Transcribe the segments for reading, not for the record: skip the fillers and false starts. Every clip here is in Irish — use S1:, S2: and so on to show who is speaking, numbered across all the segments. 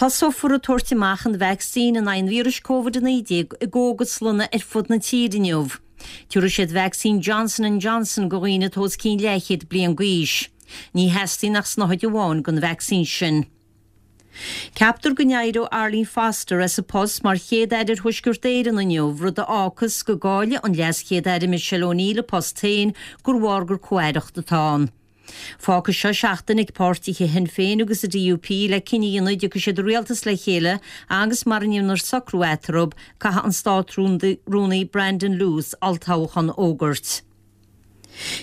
S1: Tosófar ag tabhairt amach an vacsaín in aghaidh an víris Covid-19 i gcógaslanna ar fud na tíre inniu. Tabharfaidh siad vacsaín Johnson and Johnson go dhaoine atá os cionn leathchéad bliain d'aois. Ní theastaíonn ach snáthaid amháin den vacsaín sin. Ceaptar go n-éireoidh Arlene Foster as a post mar Chéad-Aire ar Thuaisceart Éireann inniu, rud a fhágfas go gcaillfidh an LeasChéad-Aire Michelle O'Neill a post féin gur bharr gur comh-aireacht atá ann. Fágfaidh seo seachtain ag páirtithe Shinn Féin agus an DUP le cinneadh a dhéanamh an dtiocfaidh siad i rialtas le chéile agus mara ndéantar socrú eatarthu, caithfidh an Státrúnaí Brandon Lewis olltoghchán a fhógairt.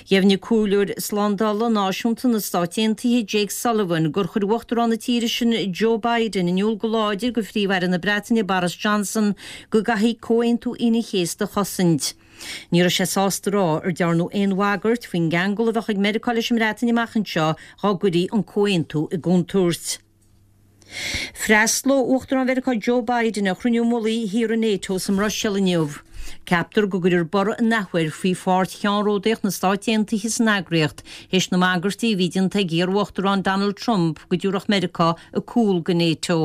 S1: Dheimhnigh Comhairleoir Slándála Náisiúnta na Stát Aontaithe Jake Sullivan gur chuir Uachtarán na tíre sin Joe Biden in iúl go láidir go Phríomh-Aire na Breataine Boris Johnson go gcaithfí Comhaontú Aoine an Chéasta a chosaint. Ní raibh sé sásta a rá ar dearnadh aon bhagairt faoin gceangal a bheadh ag Meiriceá leis an mBreatain amach anseo dá gcuirí an comhaontú i gcontúirt. Freastlóidh Uachtarán Mheiriceá Joe Biden ar chruinniú mullaigh thíortha NATO sa mBruiséil inniu. Ceaptar go gcuirfear borradh an athuair faoi pháirt cheannródaíoch na Stát Aontaithe san eagraíocht théis na mbagairtí a bhí déanta ag iar-Uachtarán Donald Trump go dtabharfadh Meiriceá a cúl go NATO.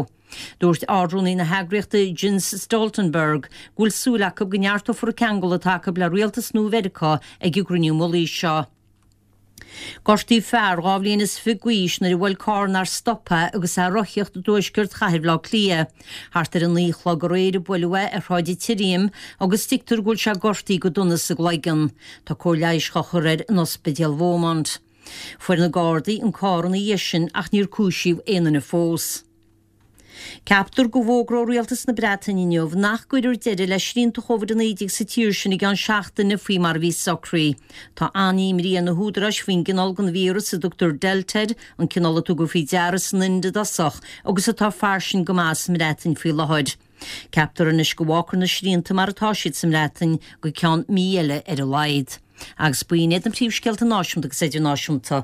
S1: Dúirt Ard-Rúnaí na heagraíochta Jens Stoltenberg go bhfuil súil acu go neartófar an ceangal atá acu le rialtas nua Mheiriceá ag an gcruinniú mullaigh seo. Gortaíodh fear 22 bhliain is d'aois nuair a bhuail carr nár stop é agus é ag rothaíocht i dtuaisceart chathair Bhaile Átha Cliath. Thart ar 9 a chlog aréir a buaileadh é ar Shráid an tSirriam agus tuigtear go bhfuil sé gortaithe go dona sa gcloigeann. Tá cóir leighis á chur air in Ospidéal Bheaumont. Fuair na Gardaí an carr ina dhiaidh sin ach níor cúisíodh aon duine fós. Ceaptar go bhfógróidh Rialtas na Breataine inniu nach gcuirfear deireadh le srianta Covid-19 sa tír sin i gceann seachtaine faoi mar a bhí socraithe. Tá an-imní ar na húdaráis faoin gcineál den víreas a dtugtar Delta air, an cineál a tugadh faoi deara san Ind i dtosach agus atá fairsing go maith sa mBreatain faoi láthair. Ceaptar anois go bhfágfar na srianta mar atá siad sa mBreatain go ceann mí eile ar a laghad. Agus b'in iad na príomhscéalta náisiúnta agus idirnáisiúnta.